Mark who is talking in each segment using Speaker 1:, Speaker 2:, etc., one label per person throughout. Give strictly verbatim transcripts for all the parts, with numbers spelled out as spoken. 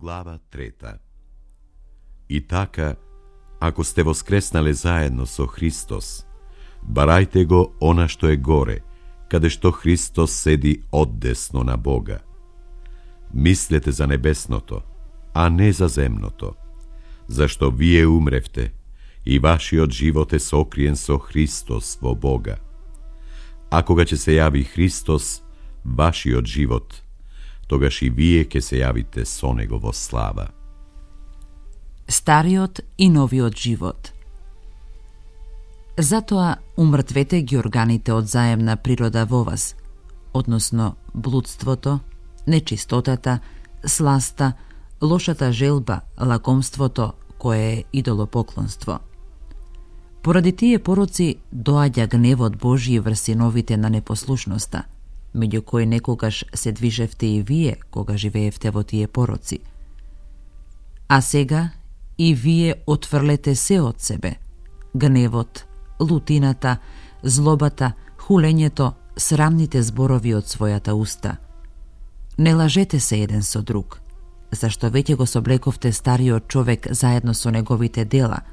Speaker 1: Глава трета. И така, ако сте воскреснале заедно со Христос, барајте го она што е горе, каде што Христос седи оддесно на Бога. Мислете за небесното, а не за земното, зашто вие умревте и вашиот живот е сокриен со Христос во Бога. А кога ќе се јави Христос, вашиот живот, тогаш и вие ќе се јавите со Него во слава.
Speaker 2: Стариот и новиот живот. Затоа умртвете ги органите од заемна природа во вас, односно блудството, нечистотата, сласта, лошата желба, лакомството, кое е идолопоклонство. Поради тие пороци доаѓа гневот Божји врз синовите на непослушноста, меѓу кои некогаш се движевте и вие, кога живеевте во тие пороци. А сега и вие отфрлете се од себе: гневот, лутината, злобата, хулењето, срамните зборови од својата уста. Не лажете се еден со друг, зашто веќе го соблековте стариот човек заедно со неговите дела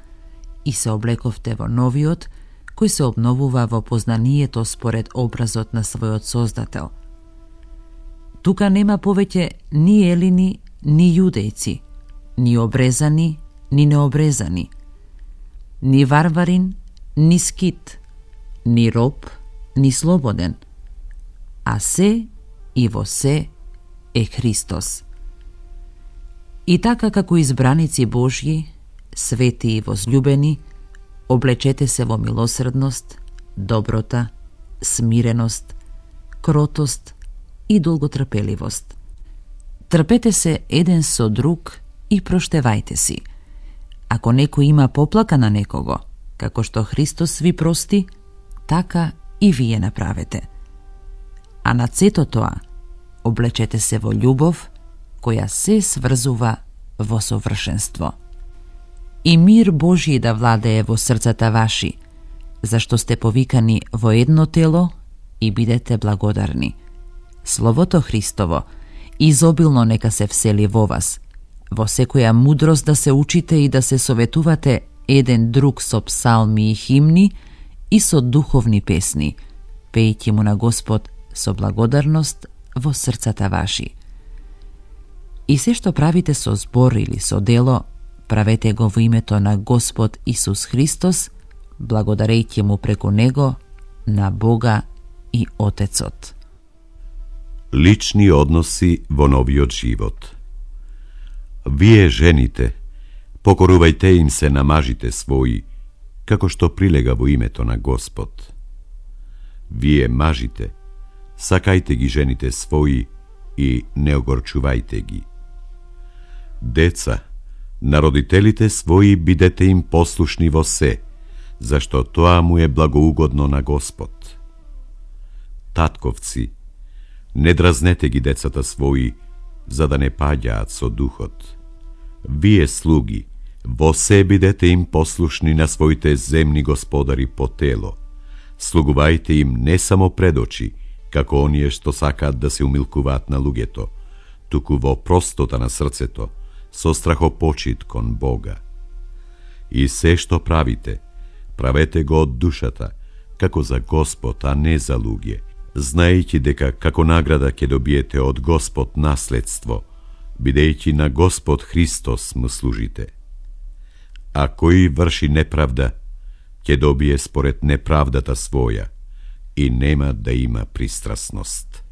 Speaker 2: и се облековте во новиот, кој се обновува во познанието според образот на својот Создател. Тука нема повеќе ни елини, ни јудејци, ни обрезани, ни необрезани, ни варварин, ни скит, ни роб, ни слободен, а се и во се е Христос. И така како избраници Божји, свети и возлюбени, облечете се во милосредност, доброта, смиреност, кротост и долготрпеливост. Трпете се еден со друг и проштевајте си. Ако некој има поплака на некого, како што Христос ви прости, така и вие направете. А над сето тоа, облечете се во љубов, која се сврзува во совршенство. И мир Божји да владее во срцата ваши, зашто сте повикани во едно тело и бидете благодарни. Словото Христово изобилно нека се всели во вас, во секоја мудрост да се учите и да се советувате еден друг со псалми и химни и со духовни песни, пејќи му на Господ со благодарност во срцата ваши. И се што правите со збор или со дело, правете го во името на Господ Исус Христос, благодарејќи му преку Него на Бога и Отецот.
Speaker 1: Лични односи во новиот живот. Вие, жените, покорувајте им се на мажите своји, како што прилега во името на Господ. Вие, мажите, сакајте ги жените своји и не огорчувајте ги. Деца, на родителите своји бидете им послушни во се, зашто тоа му е благоугодно на Господ. Татковци, не дразнете ги децата своји, за да не паѓаат со духот. Вие, слуги, во се бидете им послушни на своите земни господари по тело. Слугувајте им не само пред очи, како оние што сакаат да се умилкуваат на луѓето, туку во простота на срцето, со страхопочит кон Бога. И се што правите, правете го од душата, како за Господ, а не за луѓе, знаејќи дека како награда ќе добиете од Господ наследство, бидејќи на Господ Христос му служите. А кој врши неправда, ќе добие според неправдата своја и нема да има пристрасност.